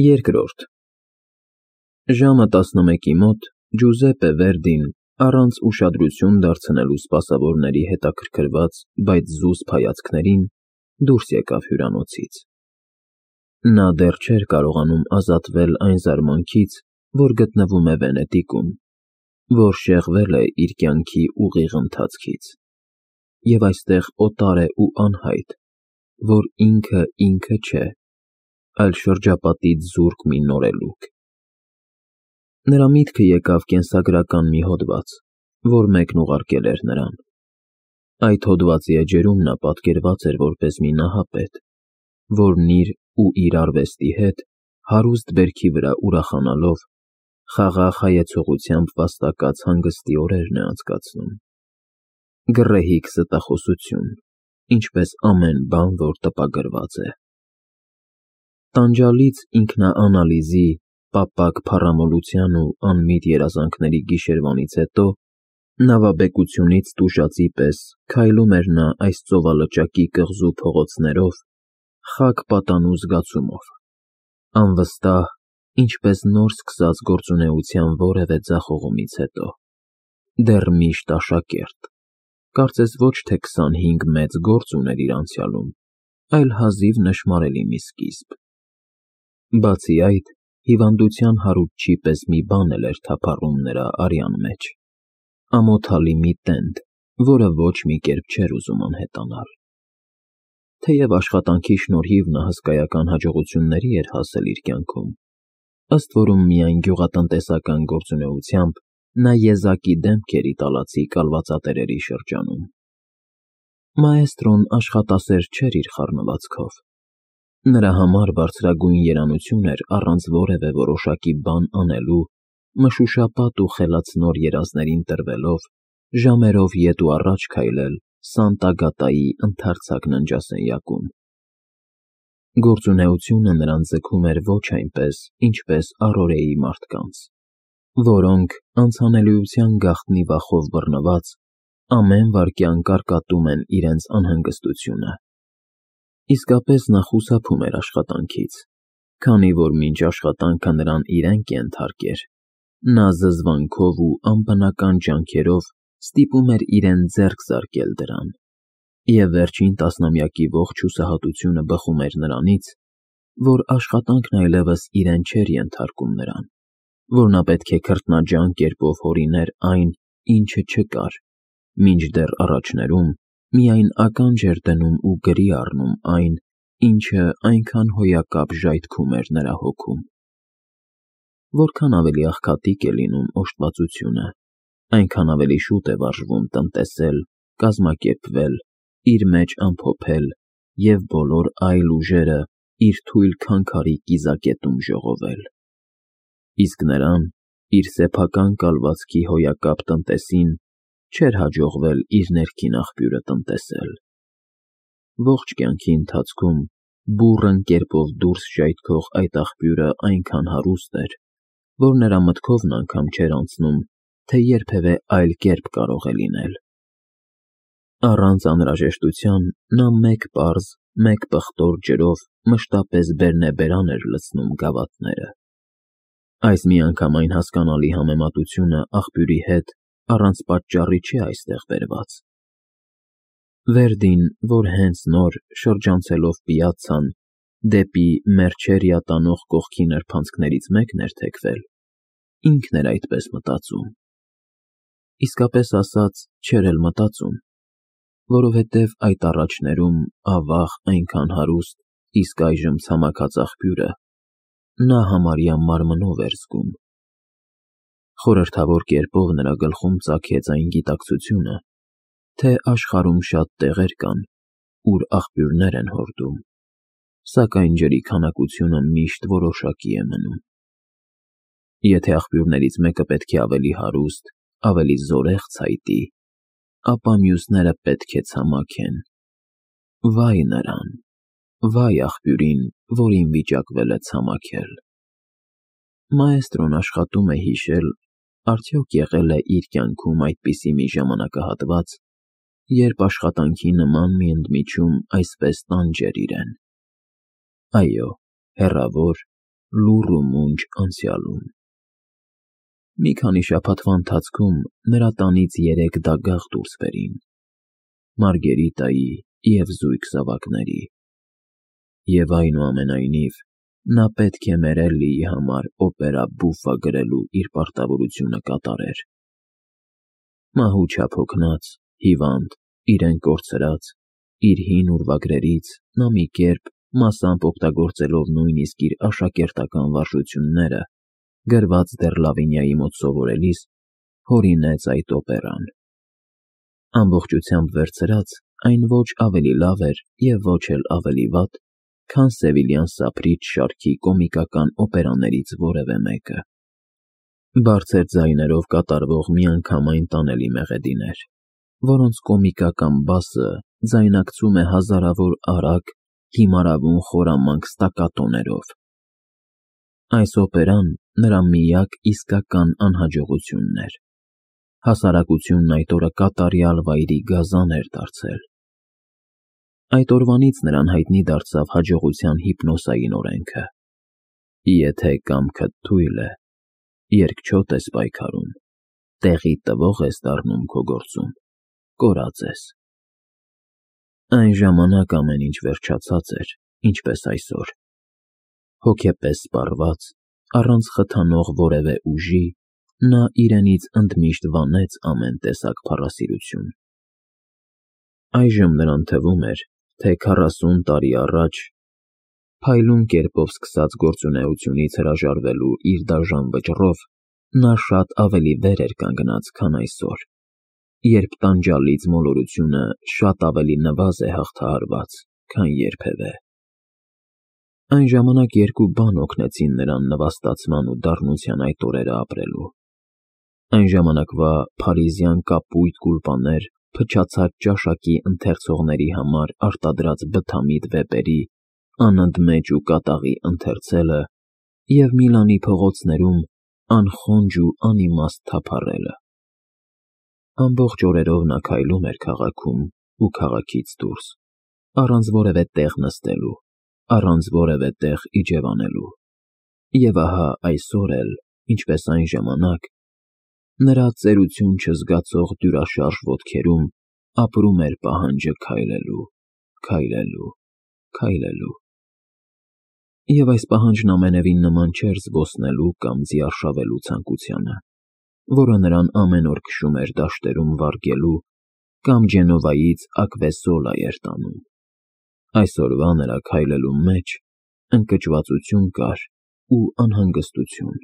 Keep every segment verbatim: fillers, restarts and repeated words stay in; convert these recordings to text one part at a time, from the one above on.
Երկրորդ Ժամը տասնմեկի մոտ Ջուզեպպե Վերդին, առանց ուշադրություն դարձնելու սպասավորների հետաքրքրված, բայց զուսպ հայացքներին, դուրս եկավ հյուրանոցից։ Նա դեռ չէր կարողանում ազատվել այն զարմանքից, որ գտնվում է Վենետիկում, որ շեղվել է իր կյանքի ուղիղ ընթացքից, և այստեղ օտար է ու անհայտ, որ ինքը ինքը չէ, այլ շրջապատից զուրկ մի նորելուկ։ Նրա միտքը եկավ կենսագրական մի հոդված, որ մեկն ուղարկել էր նրան։ Այդ հոդվածի էջերում նա պատկերված էր որպես մի նահապետ, որն իր ու իր արվեստի հետ հարուստ բերքի վրա ուրախանալով, խաղաղ հայեցողությամբ վաստակած հանգստի օրերն է անցկացնում։ Գռեհիկ ստախոսություն, ինչպես ամեն բան, որ տպագրված է։ Տանջալից ինքնաանալիզի, պապակ փառամոլության ու անմիտ երազանքների գիշերվանից հետո, նավաբեկությունից տուժածի պես քայլում էր նա այս ծովալճակի կղզու փողոցներով, խաք պատանու զգացումով, անվստահ, ինչպես նոր սկսած գործունեության որևէ ձախողումից հետո, դեռ միշտ աշակերտ, կարծես ոչ թե քսանհինգ մեծ գործ ուներ իր անցյալում, այլ հազիվ նշմարելի մի սկիզբ։ Բացի այդ, հիվանդության հարուցչի պես մի բան էլ էր թափառում նրա արյան մեջ, ամոթալի մի տենդ, որը ոչ մի կերպ չէր ուզում անհետանալ։ Թեև աշխատանքի շնորհիվ նա հսկայական հաջողությունների էր հասել իր կյանքում, ըստ որում միայն գյուղատնտեսական գործունեությամբ նա եզակի դեմք էր իտալացի կալվածատերերի շրջանում։ Մաեստրոն աշխատասեր չէր իր խառնվածքով։ Նրա համար բարձրագույն երանություն էր առանց որևէ որոշակի բան անելու, մշուշապատ ու խելացնոր երազներին տրվելով, ժամերով ետ ու առաջ քայլել Սանտա֊Գատայի ընդարձակ ննջասենյակում։ Գործունեությունը նրան ձգում էր ոչ այնպես, ինչպես առօրեի մարդկանց, որոնք, անցանելիության գաղտնի վախով բռնված, ամեն վայրկյան կարկատում են իրենց անհանգստությունը։ Իսկապես նա խուսափում էր աշխատանքից, քանի որ մինչ աշխատանքը նրան իրեն կենթարկեր, նա զզվանքով ու անբնական ջանքերով ստիպում էր իրեն ձեռք զարկել դրան, և վերջին տասնամյակի ողջ հուսահատությունը բխում էր նրանից, որ աշխատանքն այլևս իրեն չէր ենթարկում նրան, որ նա պետք է քրտնաջան կերպով հորիներ այն, ինչը չկար, մինչդեռ առաջներում միայն ականջ էր դնում ու գրի առնում այն, ինչը այնքան հոյակապ ժայթքում էր նրա հոգում։ Որքան ավելի աղքատիկ է լինում օժտվածությունը, այնքան ավելի շուտ է վարժվում տնտեսել, կազմակերպվել, իր մեջ ամփոփել և բոլոր այլ ուժերը իր թույլ քանքարի կիզակետում ժողովել։ Իսկ նրան, իր սեփական կալվածքի հոյակապ տնտեսին, չէր հաջողվել իր ներքին աղբյուրը տնտեսել։ Ողջ կյանքի ընթացքում բուռն կերպով դուրս ժայթքող այդ աղբյուրը այնքան հարուստ էր, որ նրա մտքովն անգամ չէր անցնում, թե երբևէ այլ կերպ կարող է լինել։ Առանց անհրաժեշտության նա մեկ պարզ, մեկ պղտոր ջրով մշտապես բերնեբերան էր լցնում գավաթները։ Այս միանգամայն հասկանալի համեմատությունը աղբյուրի հետ առանց պատճառի չէ այստեղ բերված։ Վերդին, որ հենց նոր, շրջանցելով պիացցան, դեպի Մերջերիա տանող կողքի նրբանցքներից մեկն էր թեքվել, ինքն էր այդպես մտածում։ Իսկապես ասած, չէր էլ մտածում, որովհետև այդ առաջներում ավաղ այնքան հարուստ, իսկ այժմ ցամաքած աղբյուրը նա համարյա մարմնով էր զգում։ Խորհրդավոր կերպով նրա գլխում ծագեց այն գիտակցությունը, թե աշխարհում շատ տեղեր կան, ուր աղբյուրներ են հորդում, սակայն ջրի քանակությունը միշտ որոշակի է մնում։ Եթե աղբյուրներից մեկը պետք է ավելի հարուստ, ավելի զորեղ ցայտի, ապա մյուսները պետք է ցամաքեն։ Վայ նրան, վայ աղբյուրին, որին վիճակվել է ցամաքել։ Մաեստրոն աշխատում է հիշել, արդյոք եղե՞լ է իր կյանքում այդպիսի մի ժամանակահատված, երբ աշխատանքի նման մի ընդմիջում այսպես տանջեր իրեն։ Այո, հեռավոր, լուռ ու մունջ անցյալում։ Մի քանի շաբաթվա ընթացքում նրա տանից երեք դագաղ դուրս բերին՝ Մարգերիտայի և զույգ զավակների, և այնուամենայնիվ նա պետք է մեր Էլլիի համար օպերա բուֆա գրելու իր պարտավորությունը կատարեր։ Մահու չափ հոգնած, հիվանդ, իրեն կորցրած, իր հին ուրվագրերից նա մի կերպ, մասամբ օգտագործելով նույնիսկ իր աշակերտական վարժությունները, գրված դեռ Լավինիայի մոտ սովորելիս, հորինեց այդ օպերան։ Ամբողջությամբ վերցրած, այն ոչ ավելի լավ էր և ոչ էլ ավելի վատ, քան Սևիլյան սափրիչ շարքի կոմիկական օպերաներից որևէ մեկը։ Բարձր ձայներով կատարվող միանգամայն տանելի մեղեդիներ, որոնց կոմիկական բասը ձայնակցում է հազարավոր արագ, հիմարավուն խորամանկ ստակատոներով։ Այս օպերան նրա միակ իսկական անհաջողությունն էր։ Հասարակությունն այդ օրը կատարյալ վայրի գազան էր դարձել։ Այդ օրվանից նրան հայտնի դարձավ հաջողության հիպնոսային օրենքը. եթե կամքդ թույլ է, երկչոտ ես պայքարում, տեղի տվող ես դառնում քո գործում, կորած ես։ Այն ժամանակ ամեն ինչ վերջացած էր, ինչպես այսօր։ Հոգեպես սպառված, առանց խթանող որևէ ուժի, նա իրենից ընդմիշտ վանեց ամեն տեսակ փառասիրություն։ Այժմ նրան թվում էր, թե քառասուն տարի առաջ, փայլուն կերպով սկսած գործունեությունից հրաժարվելու իր դաժան վճռով, նա շատ ավելի վեր էր կանգնած, քան այսօր, երբ տանջալից մոլորությունը շատ ավելի նվազ է հաղթահարված, քան երբևէ։ Այն ժամանակ երկու բան օգնեցին նրան նվաստացման ու դառնության այդ օրերը ապրելու։ Այն ժամանակվա փարիզյան կապույտ գուլպաներ փչացած ճաշակի ընթերցողների համար արտադրած բթամիտ վեպերի անընդմեջ ու կատաղի ընթերցելը և Միլանի փողոցներում անխոնջ ու անիմաստ թափառելը։ Ամբողջ օրերով նա քայլում էր քաղաքում ու քաղաքից դուրս, առանց որևէ տեղ նստելու, առանց որևէ տեղ իջևանելու։ Եվ ահա այսօր էլ, ինչպես այն ժամանակ, նրա ծերություն չզգացող դյուրաշարժ ոտքերում ապրում էր պահանջը քայլելու, քայլելու, քայլելու։ Եվ այս պահանջն ամենևին նման չէր զբոսնելու կամ ձիարշավելու ցանկությանը, որը նրան ամեն օր քշում էր դաշտերում վարգելու կամ Ջենովայից Ակվեսոլա էր տանում։ Այսօրվա նրա քայլելու մեջ ընկճվածություն կար ու անհանգստություն։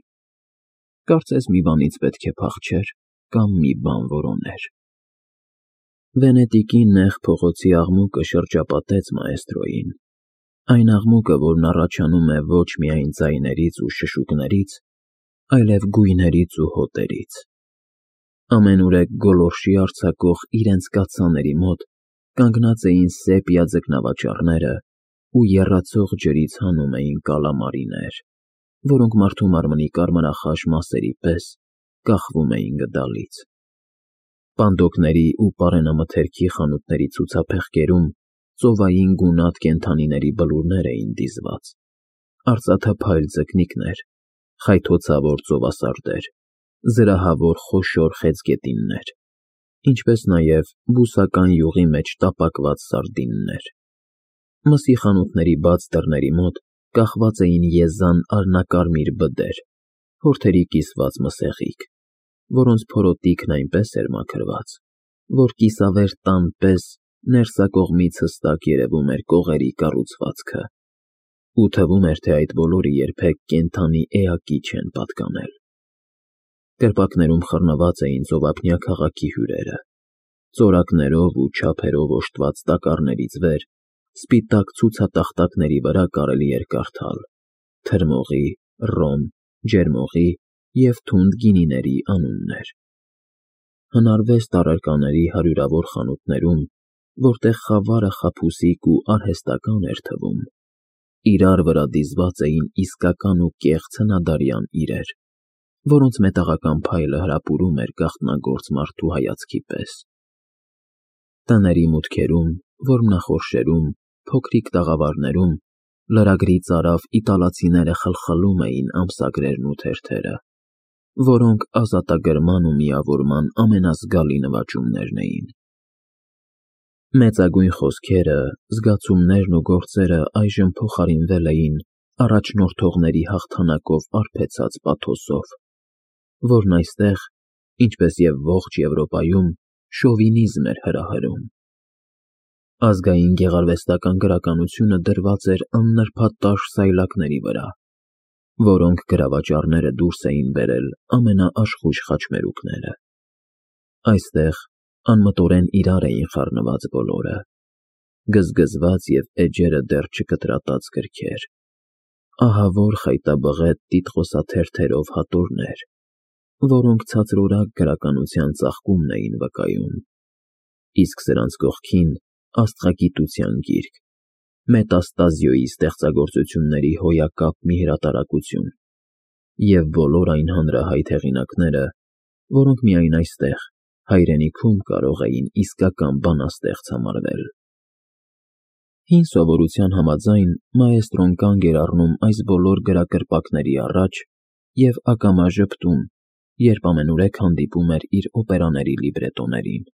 Կարծես մի բանից պետք է փախչեր կամ մի բան որոներ։ Վենետիկի նեղ փողոցի աղմուկը շրջապատեց մաեստրոյին, այն աղմուկը, որն առաջանում է ոչ միայն ձայներից ու շշուկներից, այլև գույներից ու հոտերից։ Ամենուրեք գոլորշի արձակող իրենց կաթսաների մոտ կանգնած էին սեպիա ձկնավաճառները ու եռացող ջրից հանում էին կալամարիներ, որոնք մարդու մարմնի կարմրախաշ մասերի պես կախվում էին գդալից։ Պանդոկների ու պարենամթերքի խանութների ցուցափեղկերում ծովային գունատ կենդանիների բլուրներ էին դիզված, արծաթափայլ ձկնիկներ, խայթոցավոր ծովասարդեր, զրահավոր խոշոր խեցգետիններ, ինչպես նաև բուսական յուղի մեջ տապակված սարդիններ։ Մսի խանութների բաց դռների մոտ կախված էին եզան արհնակարմիր բդեր, հորթերի կիսված մսեղիկ, որոնց փորոտիքն այնպես էր մաքրված, որ կիսավեր տան պես ներսակողմից հստակ երևում էր կողերի կառուցվածքը, ու թվում էր, թե այդ բոլորը երբեք կենդանի էակի չեն պատկանել։ Կրպակներում խռնված էին ծովափնյա քաղաքի հյուրերը, ծորակներով ու չափերով օժտված տակառներից վեր սպիտակ ցուցատախտակների վրա կարելի էր կարդալ թրմողի, ռոմ, ջերմողի և թունդ գինիների անուններ։ Հնարվեստ առարկաների հարյուրավոր խանութներում, որտեղ խավարը խաբուսիկ ու արհեստական էր թվում, իրար վրա դիզված էին իսկական ու կեղծ հնադարյան իրեր, որոնց մետաղական փայլը հրապուրում էր գաղտնագործ մարդու հայացքի պես։ Տների մուտքերում, որմնախորշերում, փոքրիկ տաղավարներում Լրագրի ծարավ իտալացիները խլխլում էին ամսագրերն ու թերթերը, որոնք ազատագրման ու միավորման ամենազգալի նվաճումներն էին։ Մեծագույն խոսքերը, զգացումներն ու գործերը այժմ փոխարինվել էին առաջնորդողների հաղթանակով արբեցած պաթոսով, որն այստեղ, ինչպես և ողջ Եվրոպայում, շովինիզմ էր հրահրում։ Ազգային գեղարվեստական գրականությունը դրված էր աննրբատաշ սայլակների վրա, որոնք գրավաճառները դուրս էին բերել ամենաաշխույժ խաչմերուկները։ Այստեղ անմտորեն իրար էին խառնված բոլորը, գզգզված և էջերը դեռ չկտրատած գրքեր, ահավոր խայտաբղետ տիտղոսաթերթերով հատորներ, որոնք ցածրորակ գրականության ծաղկումն էին վկայում, իսկ սրանց կողքին աստղագիտության գիրք, Մետաստազիոյի ստեղծագործությունների հոյակապ մի հրատարակություն և բոլոր այն հանրահայտ հեղինակները, որոնք միայն այստեղ, հայրենիքում կարող էին իսկական բանաստեղծ համարվել։ Հին սովորության համաձայն մաեստրոն կանգ էր առնում այս բոլոր գրակրպակների առաջ և ակամա ժպտում, երբ ամենուրեք հանդիպում էր իր օպերաների լիբրետոներին։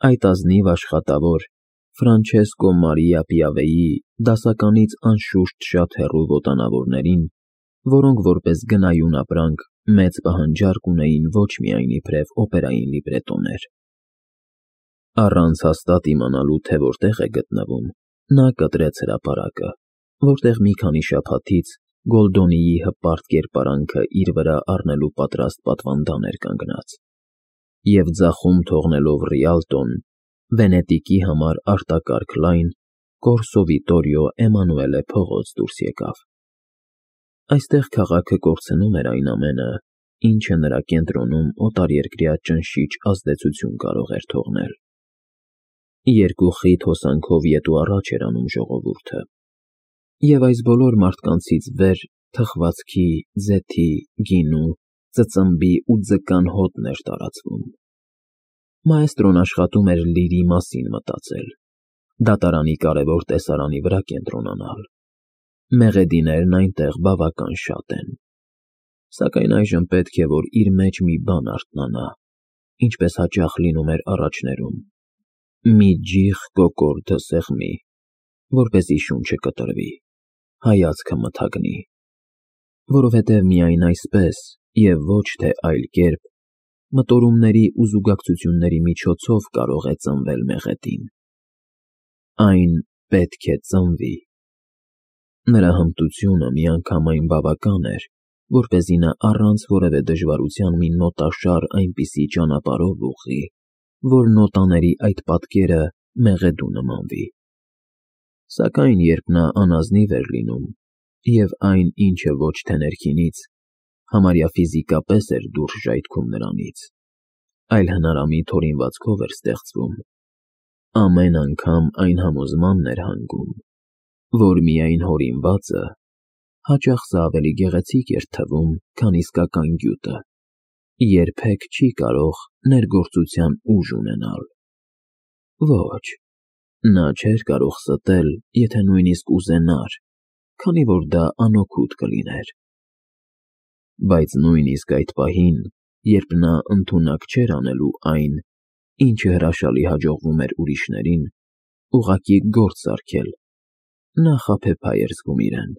Այդ ազնիվ աշխատավոր Ֆրանչեսկո Մարիա Պիավեի դասականից անշուշտ շատ հեռու ոտանավորներին, որոնք որպես գնայուն ապրանք մեծ պահանջարկ ունեին ոչ միայն իբրև օպերային լիբրետոներ։ Առանց հաստատ իմանալու, թե որտեղ է գտնվում, նա կտրեց հրապարակը, որտեղ մի քանի շաբաթից Գոլդոնիի հպարտ կերպարանքը իր վրա առնելու պատրաստ պատվանդան էր կանգնած, և ձախում թողնելով Ռիալտոն, Վենետիկի համար արտակարգ լայն Կորսո Վիտորիո Էմանուելե փողոց դուրս եկավ։ Այստեղ քաղաքը կորցնում էր այն ամենը, ինչը նրա կենտրոնում օտարերկրյա ճնշիչ ազդեցություն կարող էր թողնել։ Երկու խիտ հոսանքով ետ ու առաջ էր անում ժողովուրդը, և այս բոլոր մարդկանցից վեր թխվածքի, ձեթի, գինու, ծծմբի ու ձկան հոտն էր տարածվում։ Մաեստրոն աշխատում էր լիրի մասին մտածել, դատարանի կարևոր տեսարանի վրա կենտրոնանալ։ Մեղեդիներն այնտեղ բավական շատ են, սակայն այժմ պետք է, որ իր մեջ մի բան արթնանա, ինչպես հաճախ լինում էր առաջներում, մի ջիղ կոկորդը սեղմի, որպեսզի շունչը կտրվի, հայացքը մթագնի, որովհետև միայն այսպես և ոչ թե այլ կերպ մտորումների ու զուգակցությունների միջոցով կարող է ծնվել մեղեդին։ Այն պետք է ծնվի։ Նրա հմտությունը միանգամայն բավական էր, որպեսզի նա առանց որևէ դժվարության մի նոտաշար այնպիսի ճանապարհով ուղղի, որ նոտաների այդ պատկերը մեղեդու նմանվի։ Սակայն երբ նա անազնիվ էր լինում, և այն, ինչը ոչ թե ներքինից, համարյա ֆիզիկապես էր դուրս ժայթքում նրանից, այլ հնարամիտ հորինվածքով էր ստեղծվում, ամեն անգամ այն համոզմանն էր հանգում, որ միայն հորինվածը, հաճախ սա ավելի գեղեցիկ էր թվում, քան իսկական գյուտը, երբեք չի կարող ներգործության ուժ ունենալ։ Ոչ, նա չէր կարող ստել, եթե նույնիսկ ուզենար, քանի որ դա անօգուտ կլիներ։ Բայց նույնիսկ այդ պահին, երբ նա ընդունակ չէր անելու այն, ինչը հրաշալի հաջողվում էր ուրիշներին, ուղղակի գործ սարքել, նա խաբեբայ էր զգում իրեն։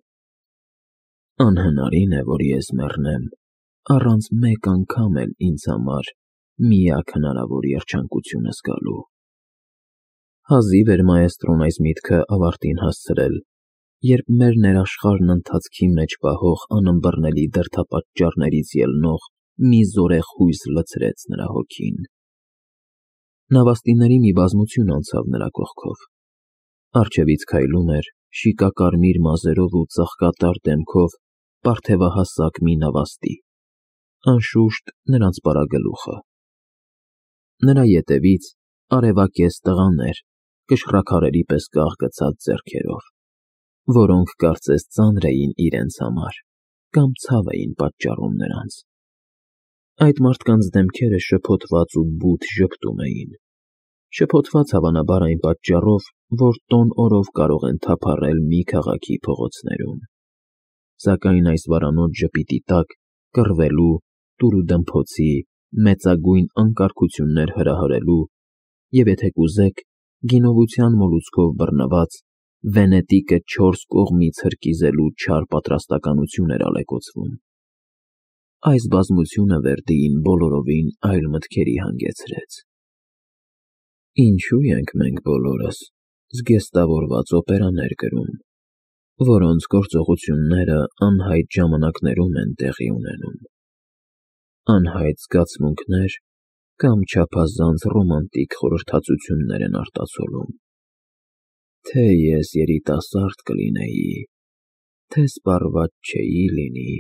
Անհնարին է, որ ես մեռնեմ, առանց մեկ անգամ էլ ինձ համար միակ հնարավոր երջանկությունը զգալու։ Հազիվ էր մաեստրոն այս միտքը ավարտին հասցրել, երբ մեր ներաշխարհն ընթացքի մեջ պահող անըմբռնելի դրդապատճառներից ելնող մի զորեղ հույս լցրեց նրա հոգին։ Նավաստիների մի բազմություն անցավ նրա կողքով։ Առջևից քայլում էր, շիկակարմիր մազերով ու ծաղկատար դեմքով պարթևահասակ մի նավաստի, անշուշտ նրանց պարագլուխը։ Նրա ետևից արևակեզ տղաներ, կշռաքարերի պես կաղկցած ձեռքերով, որոնք կարծես ծանր էին իրենց համար կամ ցավ էին պատճառում նրանց։ Այդ մարդկանց դեմքերը շփոթված ու բութ ժպտում էին, շփոթված հավանաբար այն պատճառով, որ տոն օրով կարող են թափառել մի քաղաքի փողոցներում։ Սակայն այս վարանոտ ժպիտի տակ կռվելու, տուրուդմփոցի, մեծագույն անկարգություններ հրահրելու և, եթե կուզեք, գինովության մոլուցքով բռնված, Վենետիկը չորս կողմից հրկիզելու չար պատրաստակամություն էր ալեկոծվում։ Այս բազմությունը Վերդիին բոլորովին այլ մտքերի հանգեցրեց։ Ինչո՞ւ ենք մենք բոլորս զգեստավորված օպերաներ գրում, որոնց գործողությունները անհայտ ժամանակներում են տեղի ունենում, անհայտ զգացմունքներ կամ չափազանց ռոմանտիկ խորհրդածություններ են արտացոլում, թե ես երիտասարդ կլինեի, թե սպառված չէի լինի,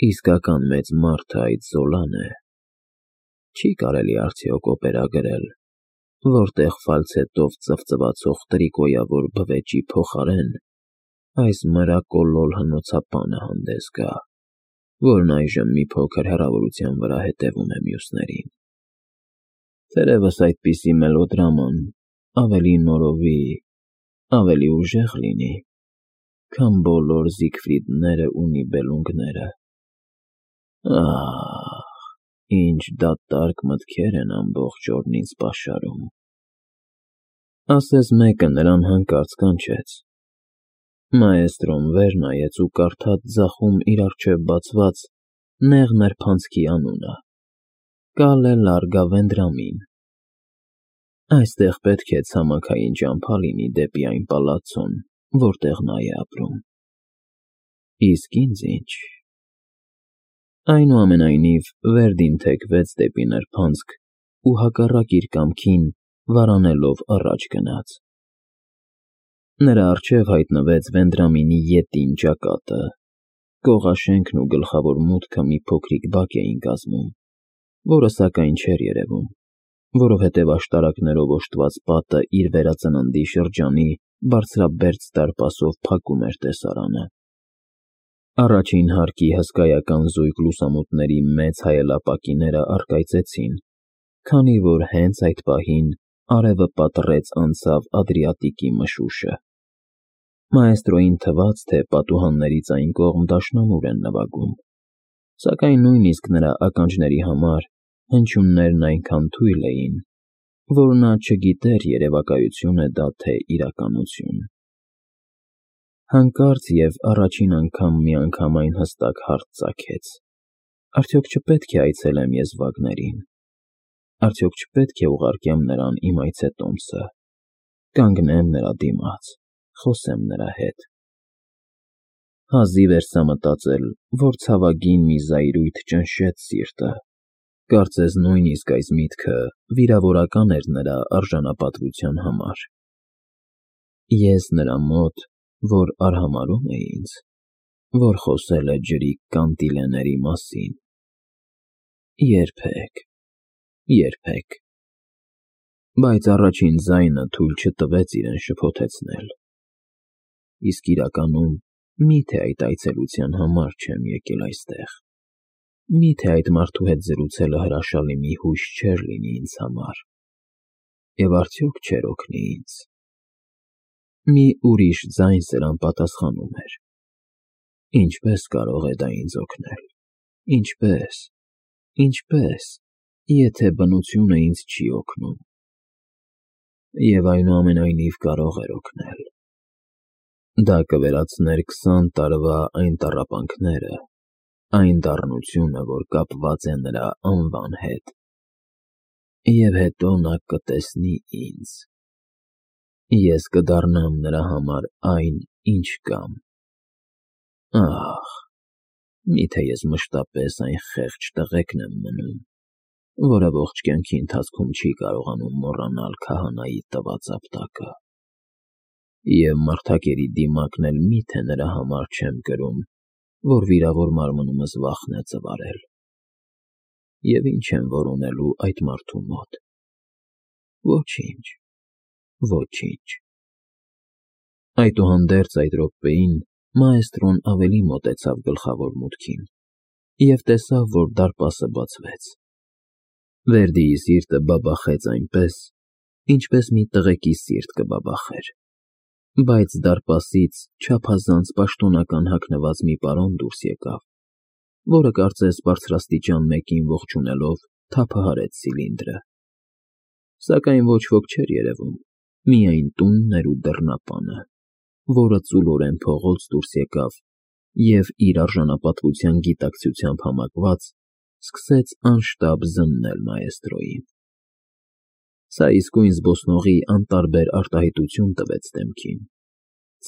իսկական մեծ մարդը այդ Զոլան է, չի կարելի արդյոք օպերա գրել, որտեղ ֆալցետով ծվծվացող տրիկոյավոր բվեճի փոխարեն այս մրակոլոլ հնոցապանը հանդես գա, որն այժմ մի փոքր հեռավորության վրա հետևում է մյուսներին։ Թերևս այդպիսի մելոդրաման ավելի նորովի, ավելի ուժեղ լինի, քան բոլոր Զիգֆրիդները ու Նիբելունգները։ Ահ, ինչ դատարկ մտքեր են ամբողջ օրն ինձ պաշարում։ Ասես մեկը նրան հանկարծ կանչեց։ Մաեստրոն վեր նայեց ու կարդաց ձախում իր առջև բացված նեղ նրբանցքի անունը՝ Կալե Լարգա Վենդրամին։ Այստեղ պետք է ցամաքային ճամփա լինի դեպի այն պալացցոն, որտեղ նա է ապրում։ Իսկ ինձ ի՞նչ։ Այնուամենայնիվ, Վերդին թեքվեց դեպի նրբանցք ու հակառակ իր կամքին վարանելով առաջ գնաց։ Նրա առջև հայտնվեց Վենդրամինի ետին ճակատը, կողաշենքն ու գլխավոր մուտքը մի փոքրիկ բակ էին կազմում, որը սակայն չէր երևում, որովհետև աշտարակներով օժտված պատը իր վերածննդի շրջանի բարձրաբերձ դարպասով փակում էր տեսարանը։ Առաջին հարկի հսկայական զույգ լուսամուտների մեծ հայելապակիները առկայծեցին, քանի որ հենց այդ պահին արևը պատռեց անցավ Ադրիատիկի մշուշը։ Մաեստրոյին թվաց, թե պատուհաններից այն կողմ դաշնամուր են նվագում, սակայն նույնիսկ նրա ականջների համար հնչյուններն այնքան թույլ էին, որ նա չգիտեր երևակայություն է դա, թե իրականություն։ Հանկարծ և առաջին անգամ միանգամայն հստակ հարց ծագեց. արդյոք չպետք է այցելեմ եզվակներին, արդյոք չպետք է ուղարկեմ նրան իմ այցետոմսը, կանգնեմ նրա դիմաց, խոսեմ նրա հետ։ Հազիվ էր սա մտածել, որ ցավագին մի զայրույթ ճնշեց սիրտը, կարծես նույնիսկ այս միտքը վիրավորական էր նրա արժանապատվության համար։ Ես նրա մոտ, որ արհամարհում է ինձ, որ խոսել է ջրի կանտիլեների մասին։ Երբեք, երբեք։ Բայց առաջին ձայնը թույլ չտվեց իրեն շփոթեցնել։ Իսկ իրականում, մի՞թե այդ այցելության համար չեմ եկել այստեղ։ Մի՞թե այդ մարդու հետ զրուցելը հրաշալի մի հույս չէր լինի ինձ համար, և արդյոք չէր օգնի ինձ։ Մի ուրիշ ձայն սրան պատասխանում էր։ Ինչպե՞ս կարող է դա ինձ օգնել, ինչպե՞ս, ինչպե՞ս, եթե բնությունը ինձ չի օգնում։ Եվ այնուամենայնիվ կարող էր օգնել։ Դա կվերացներ քսան տարվա այն տառապանքները, այն դառնությունը, որ կապված է նրա անվան հետ։ Եվ հետո նա կտեսնի ինձ։ Ես կդառնամ նրա համար այն, ինչ կամ։ Ահ, մի՞թե ես մշտապես այն խեղճ տղեկն եմ մնում, որը ողջ կյանքի ընթացքում չի կարողանում մոռանալ քահանայի տված ապտակը։ Եվ մարդակերի դիմակն էլ մի՞թե նրա համար չեմ կրում, որ վիրավոր մարմնումս վախն է ծվարել։ Եվ ի՞նչ եմ որոնելու այդ մարդու մոտ։ Ոչինչ, ոչինչ։ Այդուհանդերձ այդ րոպեին մաեստրոն ավելի մոտեցավ գլխավոր մուտքին և տեսավ, որ դարպասը բացվեց։ Վերդիի սիրտը բաբախեց այնպես, ինչպես մի տղեկի սիրտ կբաբախեր, բայց դարպասից չափազանց պաշտոնական հագնված մի պարոն դուրս եկավ, որը կարծես բարձրաստիճան մեկին ողջունելով թափահարեց ցիլինդրը, սակայն ոչ ոք չէր երևում, միայն տունն էր ու դռնապանը, որը ծուլորեն փողոց դուրս եկավ և, իր արժանապատվության գիտակցությամբ համակված, սկսեց անշտապ զննել մաեստրոյին։ Սա իսկույն զբոսնողի անտարբեր արտահայտություն տվեց դեմքին,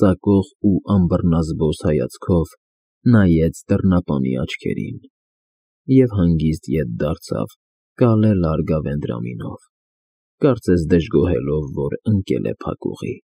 ծակող ու անբռնազբոս հայացքով նայեց դռնապանի աչքերին և հանգիստ ետ դարձավ կալե լարգ ավենտրամինով, կարծես դժգոհելով, որ ընկել է փակուղի։